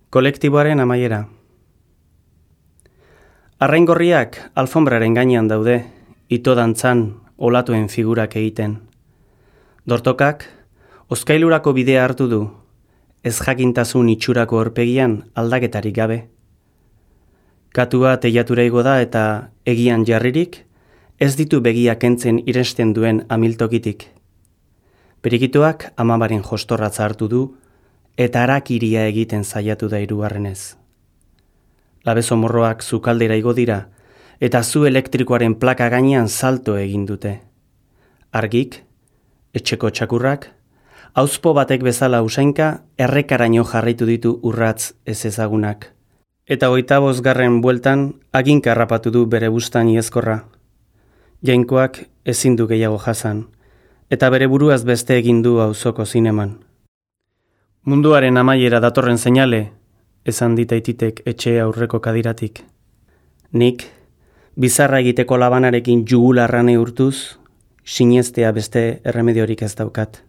Kolektiboaren amaiera. Arraingorriak alfonbraren gainean daude, ito dantzan olatuen figurak egiten. Dortokak, hozkailurako bidea hartu du, ez jakintasun itxurako horpegian aldaketarik gabe. Katua teilatura igo da eta egian jarririk, ez ditu begiak kentzen iresten duen amiltokitik. Perikitoak amabaren jostorratza hartu du, eta harakiria egiten saiatu da hirugarrenez. Labezo morroak zukaldera igo dira, eta zu elektrikoaren plaka gainean salto egin dute. Argik, etxeko txakurrak, auzpo batek bezala usainka, errekaraino jarraitu ditu urratz ez ezagunak. Eta 25. bueltan, aginka harrapatu du bere bustan iezkorra. Jainkoak ezin du gehiago jasan, eta bere buruaz beste egin du auzoko zineman. Munduaren amaiera datorren seinale, esan ditaititek etxe aurreko kadiratik. Nik, bizarra egiteko labanarekin jugularra neurtuz, sinestea beste erremediorik ez daukat.